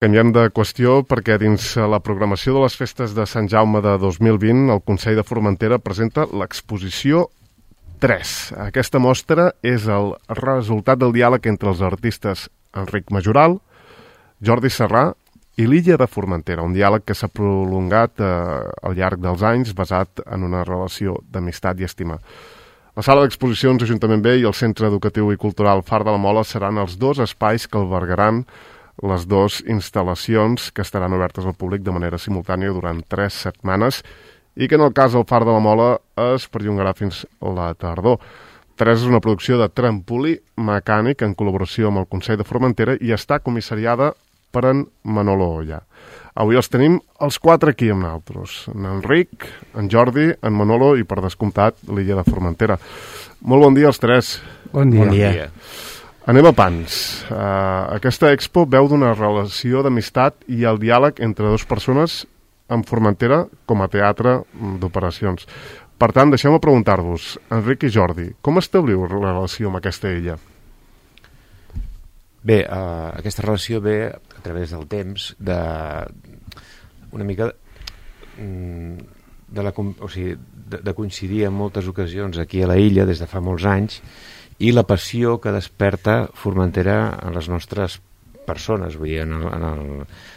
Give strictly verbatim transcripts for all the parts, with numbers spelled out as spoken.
Canviem de qüestió perquè dins la programació de les festes de Sant Jaume de dos mil vint el Consell de Formentera presenta l'exposició tres. Aquesta mostra és el resultat del diàleg entre els artistes Enric Majoral, Jordi Serrà i l'illa de Formentera, un diàleg que s'ha prolongat eh, al llarg dels anys basat en una relació d'amistat i estima. La sala d'exposicions Ajuntament B i el Centre Educatiu i Cultural Far de la Mola seran els dos espais que albergaran les dues instal·lacions que estaran obertes al públic de manera simultània durant tres setmanes i que en el cas del Far de la Mola es perllongarà fins la tardor. tres és una producció de trampolí mecànic en col·laboració amb el Consell de Formentera i està comissariada per en Manolo Olla. Avui els tenim els quatre aquí amb nosaltres. En Enric, en Jordi, en Manolo i, per descomptat, l'illa de Formentera. Molt bon dia als tres. Bon dia. Bon dia. Anem a pans. Uh, aquesta expo veu d'una relació d'amistat i el diàleg entre dues persones en Formentera com a teatre d'operacions. Per tant, deixeu-me preguntar-vos, Enric i Jordi, com establir la relació amb aquesta illa? Bé, uh, aquesta relació ve a través del temps de una mica de, la, o sigui, de, de coincidir en moltes ocasions aquí a la illa des de fa molts anys i la passió que desperta Formentera en les nostres persones, vull dir, en, el, en, el,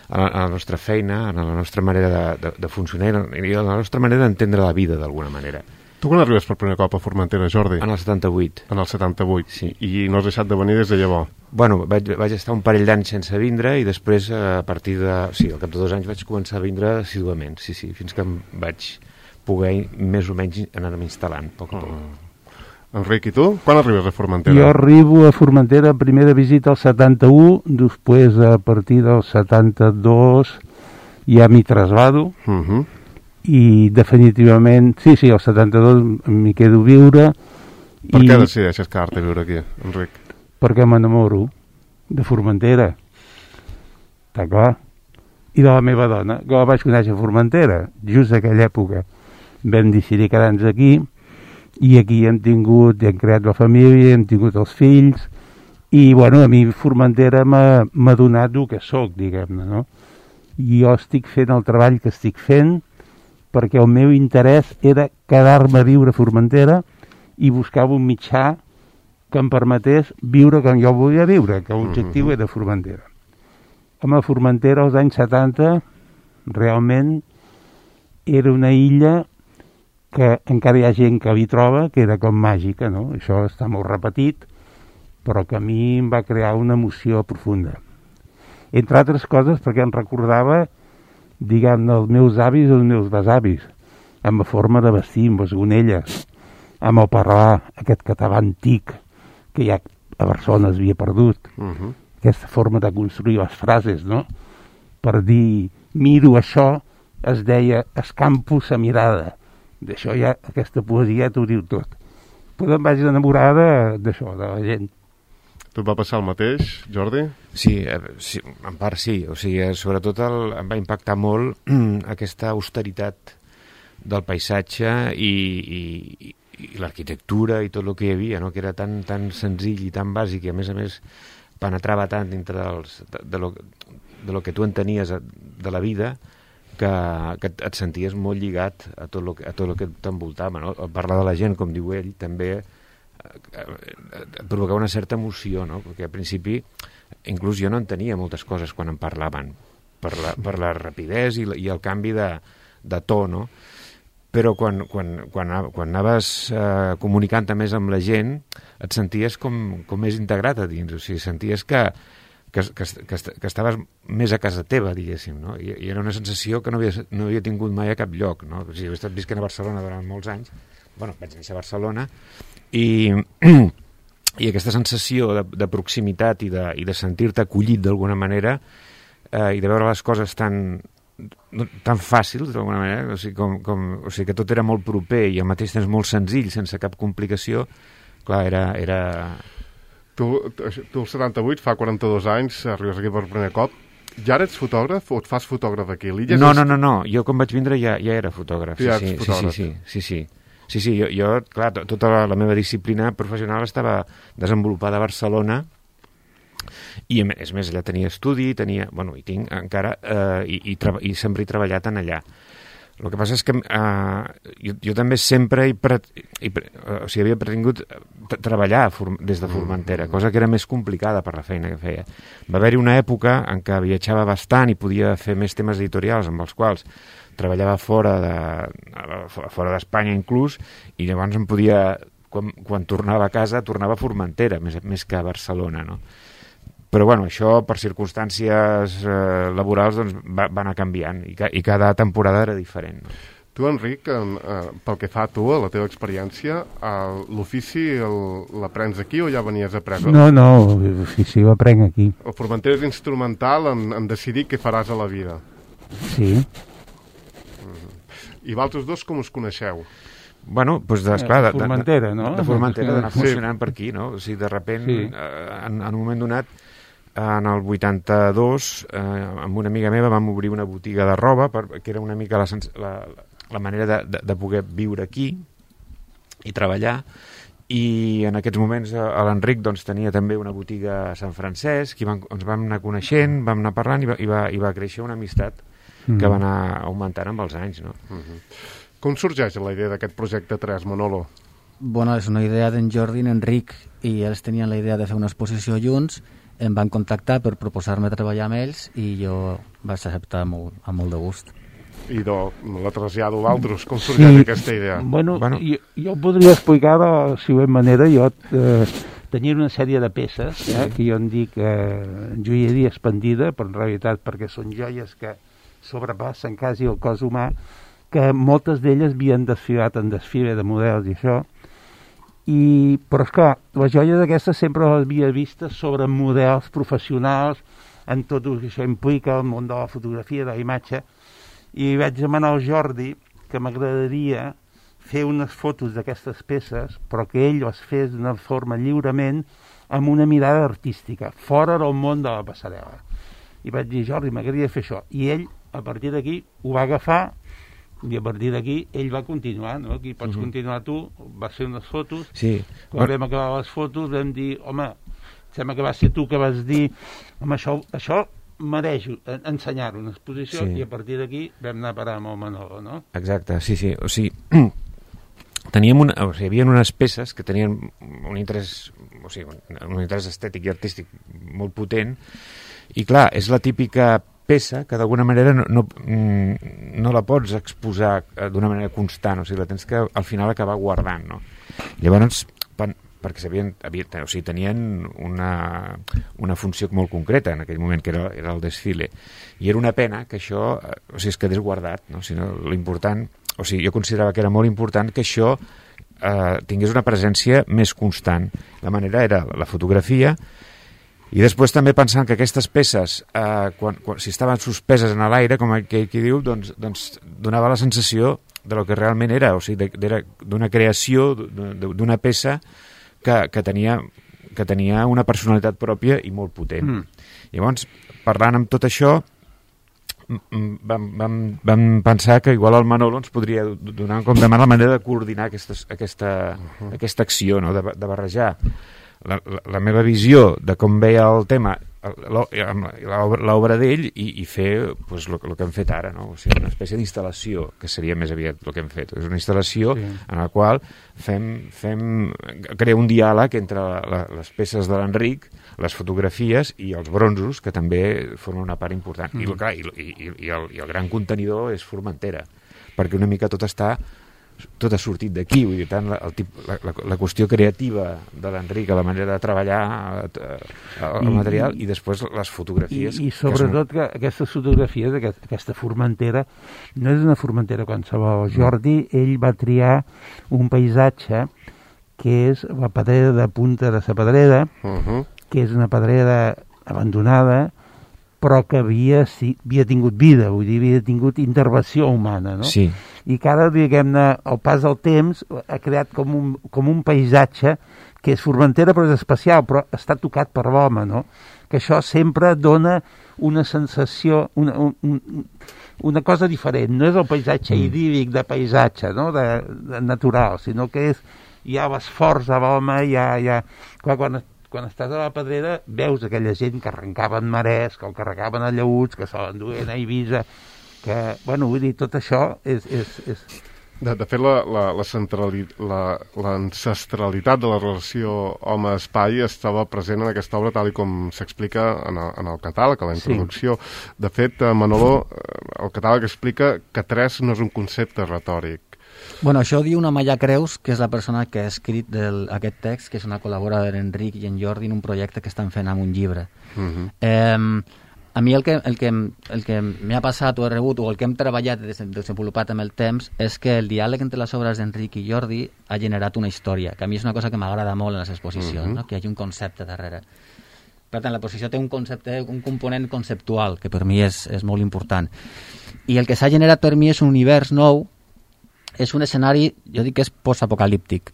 en la nostra feina, en la nostra manera de, de, de funcionar i en la nostra manera d'entendre la vida d'alguna manera. Tu quan arribes per primer cop a Formentera, Jordi? En el setanta-vuit. En el setanta-vuit, sí. I no has deixat de venir des de llavors? Bueno, vaig, vaig estar un parell d'anys sense vindre i després a partir de... Sí, al cap de dos anys vaig començar a vindre assiduament, sí, sí, fins que em vaig poder més o menys anar-me instal·lant, poc a poc. Mm. Enric, i tu? Quan arribes a Formentera? Jo arribo a Formentera, primera visita al setanta-u, després a partir del setanta-dos ja m'hi trasllado, uh -huh. i definitivament, sí, sí, al setanta-dos m'hi quedo a viure. Per i... què decideixes quedar-te a viure aquí, Enric? Perquè m'enamoro de Formentera, està clar, i de la meva dona, que la vaig conèixer a Formentera, just a aquella època. Vam decidir quedar-nos aquí, i aquí hem tingut, hem creat la família, hem tingut els fills, i bueno, a mi Formentera m'ha donat el que soc, diguem-ne, no? I jo estic fent el treball que estic fent perquè el meu interès era quedar-me a viure a Formentera i buscava un mitjà que em permetés viure com jo volia viure, que l'objectiu era Formentera. Home, Formentera als anys setanta realment era una illa que encara hi ha gent que hi troba, que era com màgica, no? Això està molt repetit, però que a mi em va crear una emoció profunda. Entre altres coses perquè em recordava, diguem-ne, els meus avis i els meus besavis, amb la forma de vestir, amb les gonelles, amb el parlar, aquest català antic, que ja a Barcelona es havia perdut, uh-huh. Aquesta forma de construir les frases, no? Per dir, miro això, es deia, escampo sa mirada. D'això ja, aquesta poesia t'ho diu tot. Però em vaig enamorar d'això, de la gent. Tu et va passar el mateix, Jordi? Sí, eh, sí, en part sí. O sigui, sobretot el, em va impactar molt aquesta austeritat del paisatge i, i, i l'arquitectura i tot el que hi havia, no? Que era tan, tan senzill i tan bàsic i a més a més penetrava tant dintre dels, de, de, lo, de lo que tu entenies de la vida que, que et senties molt lligat a tot lo, a tot lo que t'envoltava, no? Parlar de la gent, com diu ell, també et provocava una certa emoció, no? Perquè al principi inclús jo no entenia moltes coses quan em parlaven per la, per la rapidesa i, i el canvi de, de to, no? Però quan, quan, quan, quan anaves eh, comunicant més amb la gent et senties com, com més integrat a dins, o sigui, senties que Que, que, que, que estaves més a casa teva, diguéssim, no? I, i era una sensació que no havia, no havia tingut mai a cap lloc, no? O sigui, he estat visquent a Barcelona durant molts anys, bueno, vaig néixer a Barcelona, i, i aquesta sensació de, de proximitat i de, i de sentir-te acollit d'alguna manera eh, i de veure les coses tan, tan fàcils, d'alguna manera, o sigui, com, com, o sigui, que tot era molt proper i al mateix temps molt senzill, sense cap complicació, clar, era... era... Tu, tu el setanta-vuit, fa quaranta-dos anys, arribes aquí per primer cop. Ja eres fotògraf o et fas fotògraf aquí? No, no, no, no. Jo quan vaig vindre ja, ja era fotògraf. Ja sí, ets sí, fotògraf. Sí, sí, sí, sí. Sí, sí, jo, jo clar, tota la, la meva disciplina professional estava desenvolupada a Barcelona I, és més, allà tenia estudi, tenia, bueno, i tinc encara, eh, i, i, i sempre he treballat en allà. El que passa és que eh, jo, jo també sempre he, pre, he, o sigui, havia pretingut treballar des de Formentera, cosa que era més complicada per la feina que feia. Va haver-hi una època en què viatjava bastant i podia fer més temes editorials amb els quals treballava fora de, fora d'Espanya inclús, i llavors em podia, quan, quan tornava a casa, tornava a Formentera, més, més que a Barcelona, no? Però bueno, això per circumstàncies eh, laborals doncs, va, va anar canviant i, ca, i cada temporada era diferent. No? Tu, Enric, eh, pel que fa a tu, a la teva experiència, eh, l'ofici l'aprens aquí o ja venies après? No, no, l'ofici ho aprenc aquí. El Formentera és instrumental en, en decidir què faràs a la vida. Sí. Mm. I vosaltres dos com us coneixeu? Bueno, doncs, esclar, de, de, Formentera, no? De Formentera, d'anar Sí. funcionant per aquí, no? O sigui, de repent, Sí. eh, en, en un moment donat, en el vuitanta-dos, eh, amb una amiga meva vam obrir una botiga de roba, per, que era una mica la, la, la manera de, de, de poder viure aquí i treballar, i en aquests moments eh, l'Enric doncs, tenia també una botiga a Sant Francesc, i van, ens vam anar coneixent, vam anar parlant, i va, i va, i va créixer una amistat mm. que va anar augmentant amb els anys, no? Mm-hmm. Com sorgeix la idea d'aquest projecte tres, Manolo? Bueno, és una idea d'en Jordi i en Enric, i ells tenien la idea de fer una exposició junts, em van contactar per proposar-me treballar amb ells i jo vaig acceptar molt, amb molt de gust. I do, la trasllado a altres. Com sorgeix sí. aquesta idea? Bueno, bueno. Jo, jo podria explicar de la següent manera. Jo eh, tenia una sèrie de peces eh, que jo en dic eh, joieria expandida, però en realitat perquè són joies que sobrepassen quasi el cos humà, que moltes d'elles havien desfilat en desfile de models i això. I, però esclar, les joies aquestes sempre les havia vistes sobre models professionals, en tot el que això implica, el món de la fotografia, de la imatge, i vaig demanar al Jordi que m'agradaria fer unes fotos d'aquestes peces, però que ell les fes d'una forma lliurement, amb una mirada artística, fora del món de la passarel·la. I vaig dir, Jordi, m'agradaria fer això. I ell, a partir d'aquí, ho va agafar, i a partir d'aquí ell va continuar, no? Aquí pots uh-huh. continuar tu, vas fer unes fotos, sí. quan vam acabar les fotos vam dir, home, sembla que va ser tu que vas dir, home, això, això mereix ensenyar-ho en exposició, sí. I a partir d'aquí vam anar a parar amb el Manolo, no? Exacte, sí, sí, o sigui, teníem una, o sigui, hi havia unes peces que tenien un interès, o sigui, un, un interès estètic i artístic molt potent, i clar, és la típica peça que d'alguna manera no, no, no la pots exposar d'una manera constant, o sigui, la tens que al final acabar guardant, no? Llavors, pan, perquè sabien, havien, o sigui, tenien una, una funció molt concreta en aquell moment, que era, era el desfile, i era una pena que això, o sigui, es quedés guardat, no? O sigui, l'important, o sigui, jo considerava que era molt important que això eh, tingués una presència més constant. La manera era la fotografia. I després també pensant que aquestes peces, eh, quan, quan, si estaven suspeses en l'aire, com aquell qui diu, doncs, doncs donava la sensació de lo que realment era, o sigui, d'una creació, d'una peça que, que, tenia, que tenia una personalitat pròpia i molt potent. Mm. Llavors, parlant amb tot això, vam, vam, vam pensar que igual el Manolo ens podria donar com demà la manera de coordinar aquestes, aquesta, uh-huh. aquesta acció, no? de, de barrejar La, la, la meva visió de com veia el tema, l'obra d'ell, i, i fer pues, el, el que hem fet ara, no? O sigui, una espècie d'instal·lació, que seria més aviat el que hem fet. És una instal·lació sí. en la qual fem, fem crea un diàleg entre la, la, les peces de l'Enric, les fotografies i els bronzos, que també formen una part important. Mm. I, clar, i, i, i, el, i el gran contenidor és Formentera, perquè una mica tot està tot ha sortit d'aquí, vull dir, tant la, el tip, la, la, la qüestió creativa de l'Enric, la manera de treballar el, el I, material, i després les fotografies. I, i sobretot que, són... que aquestes fotografies, aquest, aquesta Formentera, no és una Formentera qualsevol. Jordi, ell va triar un paisatge que és la pedrera de Punta de la Pedrera, uh-huh. que és una pedrera abandonada, però que havia, sí, havia tingut vida, vull dir, havia tingut intervenció humana, no? Sí. I que ara, diguem-ne, al pas del temps ha creat com un, com un paisatge que és Formentera però és especial, però està tocat per l'home, no? Que això sempre dona una sensació, una, un, una cosa diferent. No és el paisatge mm. idíl·lic de paisatge, no? de, de natural, sinó que és, hi ha l'esforç de l'home, hi ha, hi ha... Clar, quan quan estàs a la Pedrera, veus aquella gent que arrencaven marès, que el carregaven a llaüts, que se l'enduen a Eivissa, que, bueno, vull dir, tot això és... és, és... De, de fet, la, la, la centrali, la, l'ancestralitat de la relació home-espai estava present en aquesta obra tal com s'explica en, el, en el catàleg, a la introducció. Sí. De fet, Manolo, el catàleg explica que tres no és un concepte retòric. Bueno, això ho diu una Maya Creus, que és la persona que ha escrit del, aquest text, que és una col·laboradora d'Enric i en Jordi en un projecte que estan fent amb un llibre. Uh-huh. eh, a mi el que, el que, el que m'ha passat o he rebut, o el que hem treballat i desenvolupat amb el temps, és que el diàleg entre les obres d'Enric i Jordi ha generat una història, que a mi és una cosa que m'agrada molt en les exposicions, uh-huh. no? Que hi hagi un concepte darrere. Per tant, l'exposició té un concepte, un component conceptual, que per mi és, és molt important. I el que s'ha generat per mi és un univers nou, és un escenari, jo dic que és postapocalíptic,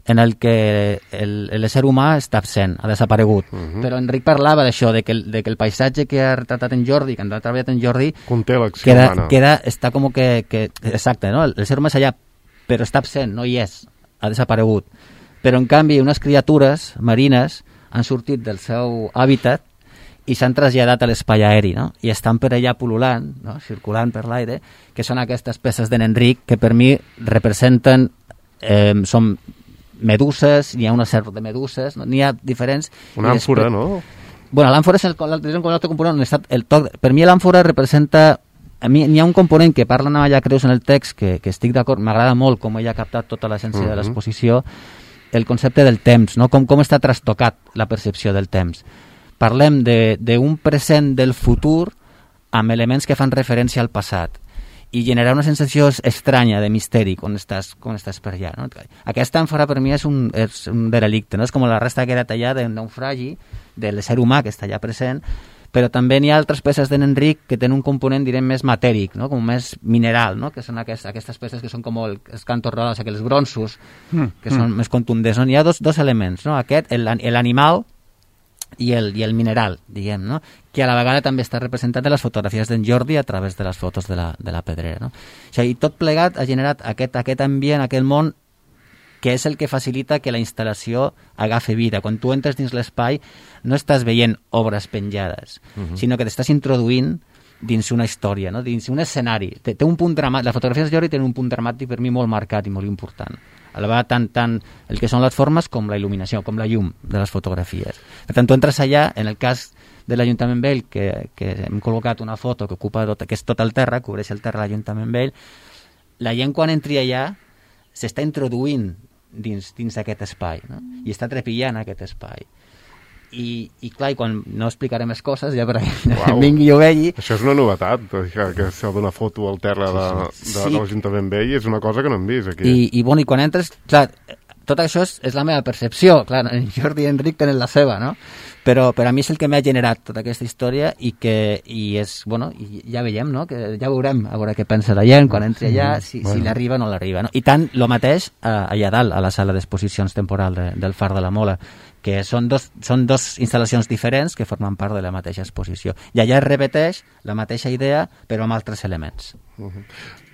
en el que el, l'ésser humà està absent, ha desaparegut. Uh-huh. Però Enric parlava d'això, de que, el, de que el paisatge que ha retratat en Jordi, que ha treballat en Jordi, conté l'acció queda, humana. Queda, està com que, que... Exacte, no? L'ésser humà és allà, però està absent, no hi és, ha desaparegut. Però, en canvi, unes criatures marines han sortit del seu hàbitat i s'han traslladat a l'espai aeri, no? I estan per allà pul·lulant, no? Circulant per l'aire, que són aquestes peces d'en Enric que per mi representen, eh, són meduses, n'hi ha una sèrie de meduses, no? N'hi ha diferents... Una àmfora, després... no? Bueno, l'àmfora és el, el, el altre component, el toc, per mi l'àmfora representa... A mi n'hi ha un component que parla Maya Creus en el text, que, que estic d'acord, m'agrada molt com ella ha captat tota l'essència uh-huh. de l'exposició, el concepte del temps, no? com, com està trastocat la percepció del temps. Parlem d'un present del futur amb elements que fan referència al passat i generar una sensació estranya de misteri quan estàs, quan estàs per allà. No? Aquesta àmfora per mi és un, és un derelicte, no? És com la resta que era tallada d'un naufragi de l'ésser humà que està allà present, però també n'hi ha altres peces d'en Enric que tenen un component, direm, més matèric, no? Com més mineral, no? Que són aquestes, aquestes peces que són com el, els cantos rodals, aquells bronzos, mm, que mm. són més contundents. No? N'hi ha dos, dos elements, no? Aquest, l'animal i el, i el mineral, diguem, no? Que a la vegada també està representat en les fotografies d'en Jordi a través de les fotos de la, de la Pedrera. No? O sigui, tot plegat ha generat aquest, aquest ambient, aquest món, que és el que facilita que la instal·lació agafi vida. Quan tu entres dins l'espai no estàs veient obres penjades, uh-huh. sinó que t'estàs introduint dins una història, no? Dins un escenari. Té, té un punt dramàtic. Les fotografies de Jordi tenen un punt dramàtic per mi molt marcat i molt important. A la vegada tant, tant el que són les formes com la il·luminació, com la llum de les fotografies. Per tant, tu entres allà, en el cas de l'Ajuntament Vell, que, que hem col·locat una foto que ocupa tot, que és tot el terra, cobreix el terra de l'Ajuntament Vell, la gent quan entri allà s'està introduint dins, dins aquest espai, no? I està trepillant aquest espai. I, i clar, i quan no explicaré més coses ja per a vingui i ho vegi. Això és una novetat, que, que s'ha d'una foto al terra de, de, sí. de l'Ajuntament Vell, és una cosa que no hem vist aquí. I, i, bueno, i quan entres, clar, tot això és, és la meva percepció, clar, en Jordi i Enric tenen la seva, no? Però per a mi és el que m'ha generat tota aquesta història i que i és, bueno, i ja veiem, no? Que ja veurem a veure què pensa la gent quan entri allà, si, bueno. si l'arriba o no l'arriba, no? I tant, el mateix eh, allà dalt, a la sala d'exposicions temporal de, del Far de la Mola, que són dos, són dos instal·lacions diferents que formen part de la mateixa exposició. I allà es repeteix la mateixa idea, però amb altres elements. Uh-huh.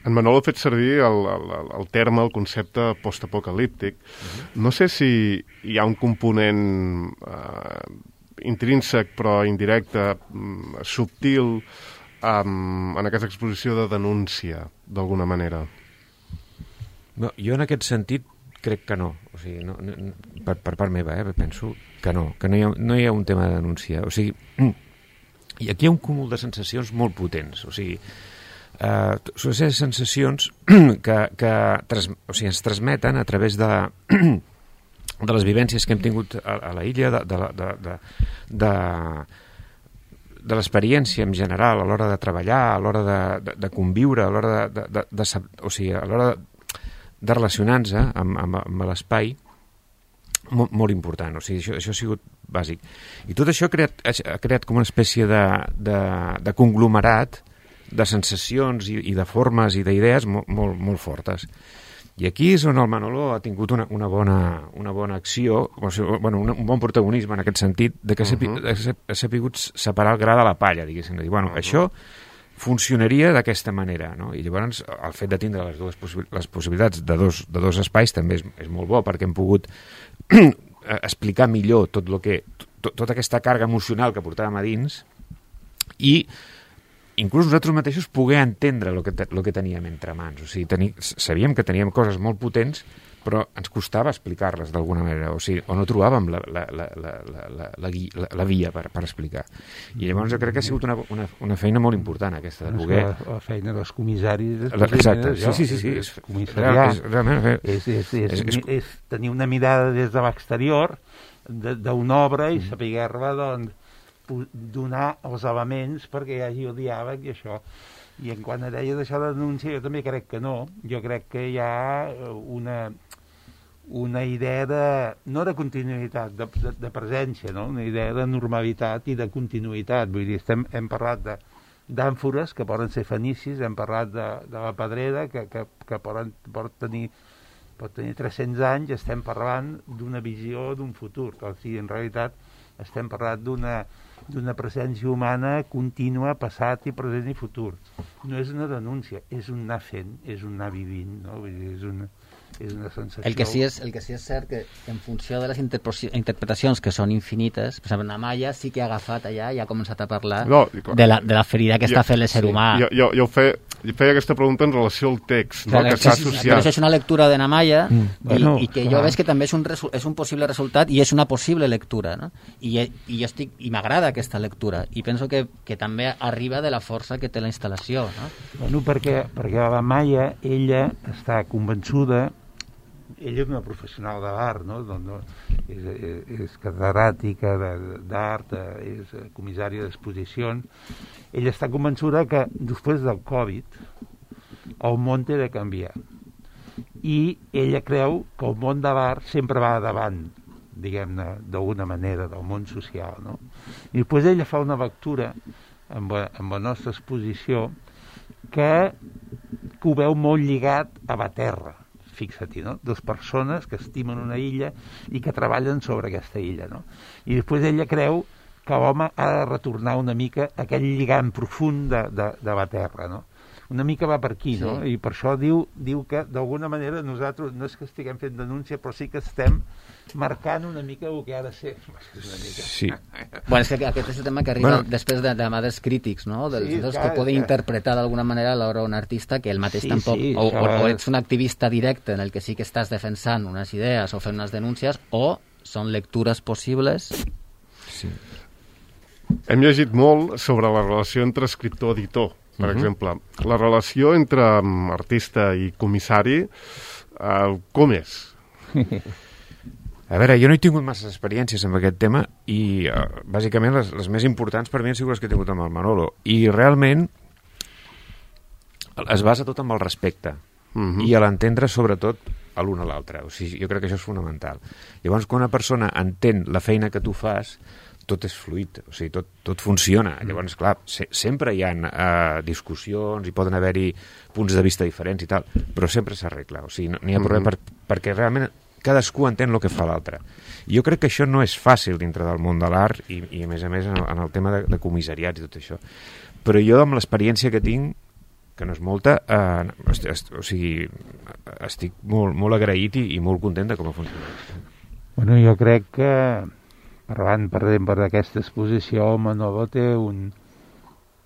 En Manol ha fet servir el, el, el terme, el concepte postapocalíptic. Uh-huh. No sé si hi ha un component eh, intrínsec però indirecte, subtil, um, en aquesta exposició de denúncia, d'alguna manera. No, jo en aquest sentit crec que no. O sigui, no, no per, per part meva, eh, penso que no, que no hi, ha, no hi ha un tema de denúncia. O sigui, i aquí hi ha un cúmul de sensacions molt potents. O sigui, eh, són aquestes sensacions que, que tras, o sigui, ens transmeten a través de, de les vivències que hem tingut a, a la illa, de, de, de, de, de, de l'experiència en general, a l'hora de treballar, a l'hora de, de, de conviure, a l'hora de, de, de, de, o sigui, a l'hora de de relacionar-se amb, amb, amb l'espai, molt, molt important. O sigui, això, això ha sigut bàsic. I tot això ha creat, ha creat com una espècie de, de, de conglomerat de sensacions i, i de formes i d'idees molt, molt, molt fortes. I aquí és on el Manolo ha tingut una, una, bona, una bona acció, o sigui, bueno, un, un bon protagonisme en aquest sentit, de que uh-huh. ha sapigut separar el gra de la palla, diguéssim. Dir, bueno, uh-huh. això funcionaria d'aquesta manera, no? I llavors el fet de tindre les dues possi- les possibilitats de dos, de dos espais també és, és molt bo, perquè hem pogut eh, explicar millor tot lo que, tot, tota aquesta càrrega emocional que portàvem a dins i inclús nosaltres mateixos poder entendre el que, lo que teníem entre mans. O sigui, teni, sabíem que teníem coses molt potents, però ens costava explicar-les d'alguna manera, o sigui, o no trobàvem la, la, la, la, la, la, la, la, la via per, per explicar. I llavors jo crec que ha sigut una, una, una feina molt important aquesta, de poder... La, la feina dels comissaris... La, exacte, sí, sí, sí, sí. És, és, comissariat, és, realment, és, és, és, és, és tenir una mirada des de l'exterior d'una obra i saber-la, doncs, donar els elements perquè hi hagi el diàleg i això. I en quant a deia d'això de denúncia, jo també crec que no. Jo crec que hi ha una, una idea de, no de continuïtat, de, de, de presència, no? Una idea de normalitat i de continuïtat. Vull dir, estem, hem parlat de d'àmfores que poden ser fenicis, hem parlat de, de la pedrera que, que, que poden, pot, tenir, pot tenir tres-cents anys, estem parlant d'una visió d'un futur. O sigui, en realitat estem parlant d'una d'una presència humana contínua, passat i present i futur. No és una denúncia, és un anar fent, és un anar vivint, no? Vull dir, és una, és una sensació... El que sí és, el que sí és cert que en funció de les interpretacions que són infinites, per exemple, Amaya sí que ha agafat allà i ha començat a parlar no, de, la, de la ferida que jo, està fent l'ésser sí, humà. Jo, jo, jo feia, feia aquesta pregunta en relació al text, no? Clar, que s'ha sí, associat. Però això és una lectura de Amaya mm. i, bueno, i que clar. Jo veig que també és un, és un possible resultat i és una possible lectura, no? I, i jo estic, i m'agrada aquesta lectura i penso que, que també arriba de la força que té la instal·lació, no? Bueno, perquè, perquè la Amaya, ella està convençuda, ella és una professional de l'art, no? Doncs, és, és, és catedràtica d'art, és comissària d'exposicions. Ella està convençuda que després del Covid el món té de canviar. I ella creu que el món de l'art sempre va davant, diguem-ne, d'alguna manera, del món social, no? I després ella fa una lectura amb la, amb la nostra exposició que, que ho veu molt lligat a la terra, fixa-t'hi, no? Dos persones que estimen una illa i que treballen sobre aquesta illa, no? I després ella creu que l'home ha de retornar una mica a aquell lligam profund de, de, de la terra, no? Una mica va per aquí, sí. No? I per això diu, diu que d'alguna manera nosaltres no és que estiguem fent denúncia, però sí que estem marcant una mica el que ha de ser. Una mica. Sí. Bueno, és que aquest és el tema que arriba bueno. després de, de mà dels crítics, no? Dels, sí, dels clar, que poden que... interpretar d'alguna manera l'obra d'un artista que ell mateix sí, tampoc... Sí, o, o, o ets un activista directe en el que sí que estàs defensant unes idees o fent unes denúncies, o són lectures possibles. Sí. Hem llegit molt sobre la relació entre escriptor-editor. Per uh-huh. exemple, la relació entre um, artista i comissari, uh, com és? A veure, jo no he tingut masses experiències amb aquest tema i, uh, bàsicament, les, les més importants per mi han sigut les que he tingut amb el Manolo. I realment es basa tot amb el respecte uh-huh. i a l'entendre, sobretot, a l'un a l'altre. O sigui, jo crec que això és fonamental. Llavors, quan una persona entén la feina que tu fas, tot és fluid, o sigui, tot, tot funciona. Mm. Llavors, clar, se, sempre hi ha uh, discussions i poden haver-hi punts de vista diferents i tal, però sempre s'arregla, o sigui, no n'hi ha problema mm-hmm. per, perquè realment cadascú entén el que fa l'altre. Jo crec que això no és fàcil dintre del món de l'art i, i a més a més en el, en el tema de, de comissariats i tot això. Però jo, amb l'experiència que tinc, que no és molta, eh, est, est, o sigui, estic molt, molt agraït i, i molt content de com ha funcionat. Bueno, jo crec que parlant, per exemple, d'aquesta exposició, el Manolo té un,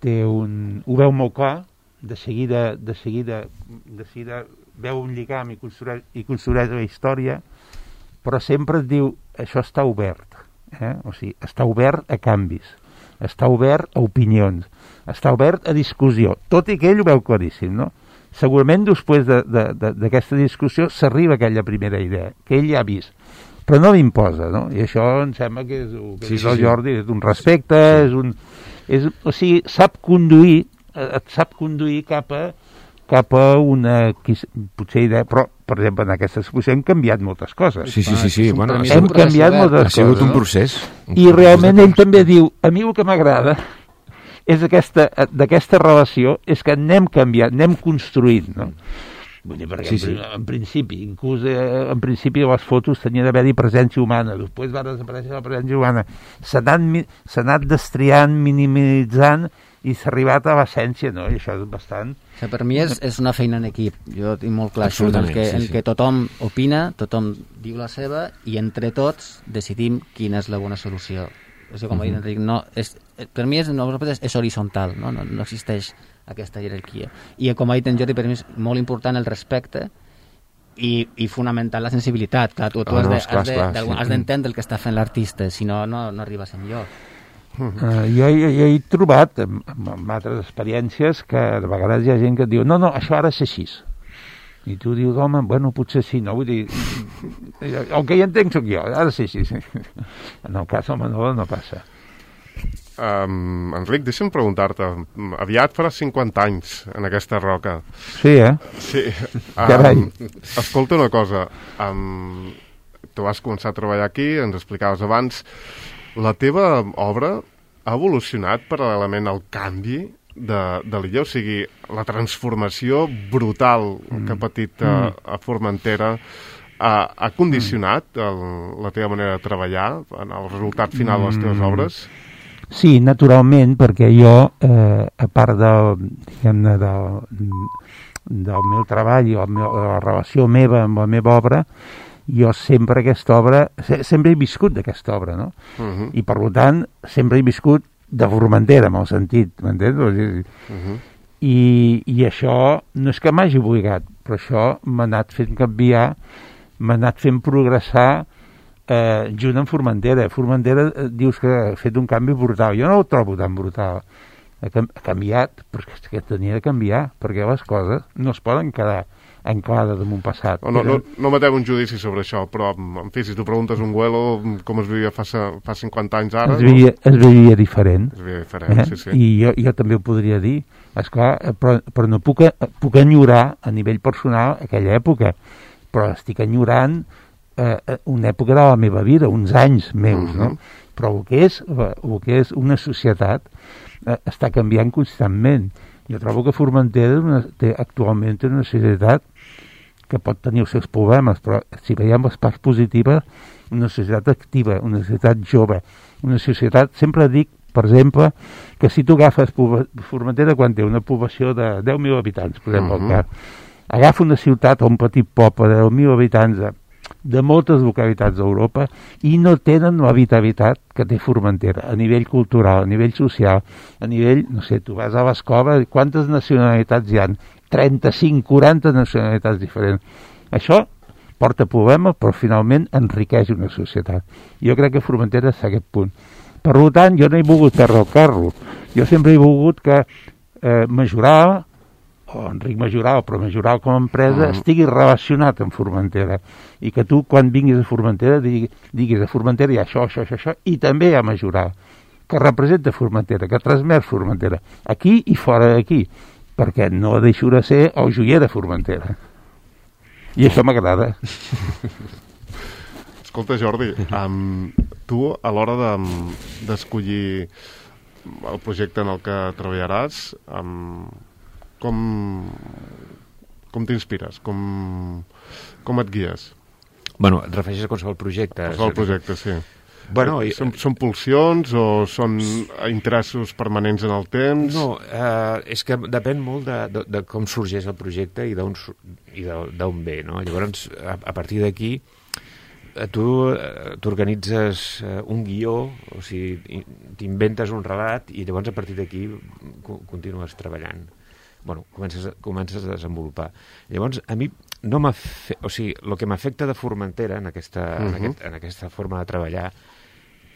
té un... ho veu molt clar, de seguida, de seguida, de seguida veu un lligam i construeix, i construeix la història, però sempre et diu, això està obert, eh? O sigui, està obert a canvis, està obert a opinions, està obert a discussió, tot i que ell ho veu claríssim, no? Segurament després d'aquesta de, de, discussió s'arriba a aquella primera idea, que ell ja ha vist, però no l'imposa, no? I això em sembla que és, que sí, és el sí, Jordi, és un respecte, sí. és un... És, o sigui, sap conduir, et sap conduir cap a, cap a una... potser idea, però, per exemple, en aquesta exposició hem canviat moltes coses. Sí, sí, sí, sí. Bueno, hem canviat moltes coses. Ha sigut un procés. I realment ell també diu, a mi el que m'agrada és aquesta, d'aquesta relació, és que anem canviant, anem construint, no? Vull dir, perquè sí, sí. En, en principi, inclús eh, en principi les fotos tenien d'haver-hi presència humana, després va desaparèixer la presència humana, s'ha anat, anat destriant, minimitzant, i s'ha arribat a l'essència, no? I això és bastant... O sigui, per mi és, és una feina en equip, jo tinc molt clar això, en què, sí, en sí. què tothom opina, tothom diu la seva i entre tots decidim quina és la bona solució. O sigui, com uh -huh. ha dit Enric, no, és, per mi és, no, és, és horitzontal, no? No, no existeix aquesta jerarquia. I com ha dit en Jordi, per mi és molt important el respecte i, i fonamental la sensibilitat. Clar, tu, tu oh, has, no, de, esclar, has, de, esclar, sí. has d'entendre el que està fent l'artista, si no, no, no arribes enlloc. Uh, jo, jo, jo he trobat amb, amb altres experiències que de vegades hi ha gent que et diu no, no, això ara és així i tu dius, home, bueno, potser sí, no? Vull dir, el que hi entenc sóc jo, ara sí, sí, sí. En el cas del Manolo no passa. Um, Enric, deixa'm preguntar-te, aviat faràs cinquanta anys en aquesta roca. Sí, eh? Sí. Carai. Um, escolta una cosa, um, tu vas començar a treballar aquí, ens explicaves abans, la teva obra ha evolucionat paral·lelament al canvi de, de l'illa, o sigui, la transformació brutal mm. que ha patit a, a Formentera ha, ha condicionat el, la teva manera de treballar en el resultat final de les teves obres? Sí, naturalment, perquè jo, eh, a part de, diguem-ne, del, del meu treball i la, meva, la relació meva amb la meva obra, jo sempre aquesta obra, sempre he viscut d'aquesta obra, no? Uh-huh. I per tant, sempre he viscut de Formentera, en el sentit, m'entens? Uh-huh. I, I això no és que m'hagi obligat, però això m'ha anat fent canviar, m'ha anat fent progressar eh, junt amb Formentera. Formentera eh, dius que ha fet un canvi brutal. Jo no ho trobo tan brutal. Ha, ha canviat, però és que tenia de canviar, perquè les coses no es poden quedar anclada damunt passat. No, no, no, no matem un judici sobre això, però, en fi, si tu preguntes un Güelo com es vivia fa, fa cinquanta anys ara... Es vivia, no? es vivia diferent. Es vivia diferent, eh? sí, sí. I jo, jo també ho podria dir, esclar, però, però no puc, puc enyorar a nivell personal aquella època, però estic enyorant eh, una època de la meva vida, uns anys meus, uh-huh. no? Però el que és, el que és una societat eh, està canviant constantment. Jo trobo que Formentera una, té, actualment té una societat que pot tenir els seus problemes, però si veiem les parts positives, una societat activa, una societat jove, una societat, sempre dic, per exemple, que si tu agafes Formentera quan té una població de deu mil habitants, per exemple, uh-huh. el cas, agafa una ciutat o un petit poble de deu mil habitants de, de moltes localitats d'Europa i no tenen l'habitabilitat que té Formentera, a nivell cultural, a nivell social, a nivell, no sé, tu vas a l'escola, quantes nacionalitats hi ha? trenta-cinc, quaranta nacionalitats diferents. Això porta problemes, però finalment enriqueix una societat. Jo crec que Formentera és a aquest punt. Per tant, jo no he volgut perdre el carro. Jo sempre he volgut que eh, Majoral, o Enric Majoral, però Majoral com a empresa, mm. estigui relacionat amb Formentera. I que tu, quan vinguis a Formentera, diguis, diguis a Formentera hi ha això, això, això, això, i també hi ha Majoral, que representa Formentera, que transmet Formentera, aquí i fora d'aquí, perquè no deixo de ser el joier de Formentera. I això m'agrada. Escolta, Jordi, um, tu, a l'hora de, d'escollir el projecte en el que treballaràs, um, com, com t'inspires? Com, com et guies? Bueno, et refereixes a qualsevol projecte? Qualsevol projecte, sí. Bueno, i... són, són pulsions o són interessos permanents en el temps? No, eh, és que depèn molt de, de, de com sorgeix el projecte i d'on i d'on ve, no? Llavors, a, a partir d'aquí, tu t'organitzes un guió, o sigui, t'inventes un relat i llavors a partir d'aquí continues treballant. Bueno, comences, comences a desenvolupar. Llavors, a mi no m'ha fe... o sigui, el que m'afecta de Formentera en aquesta, uh-huh. en, aquest, en aquesta forma de treballar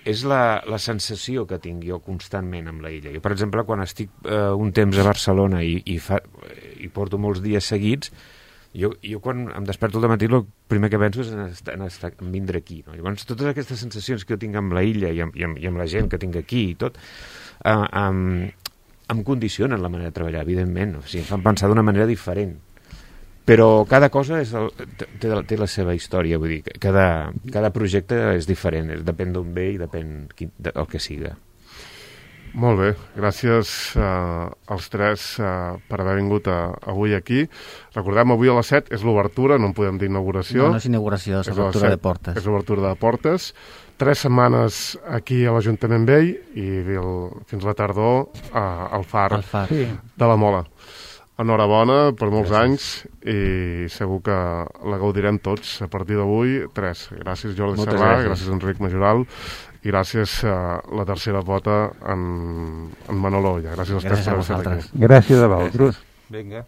és la, la sensació que tinc jo constantment amb la illa. Jo, per exemple, quan estic eh, un temps a Barcelona i, i, fa, i porto molts dies seguits, jo, jo quan em desperto al matí el primer que penso és en, estar, en, estar, en vindre aquí. No? Llavors, totes aquestes sensacions que jo tinc amb la illa i amb, i amb, i amb la gent que tinc aquí i tot, eh, amb, em condicionen la manera de treballar, evidentment. O sigui, em fan pensar d'una manera diferent. Però cada cosa és el, té, té la seva història, vull dir, cada, cada projecte és diferent, és, depèn d'on ve i depèn quin, de, el que siga. Molt bé, gràcies uh, als tres uh, per haver vingut a, avui aquí. Recordem, avui a les set és l'obertura, no en podem dir inauguració. No, no és inauguració, és, és l'obertura de portes. És l'obertura de portes. tres setmanes aquí a l'Ajuntament Vell i el, fins la tardor a, al Far, al far. Sí. de la Mola. Enhorabona per molts Gràcies. anys i segur que la gaudirem tots a partir d'avui. Tres. Gràcies Jordi Moltes Serrà, gràcies. gràcies Enric Majoral i gràcies a la tercera pota en, en Manolo Olla. Gràcies als Gràcies tres a per estar vosaltres. aquí. Gràcies a vosaltres. Vinga.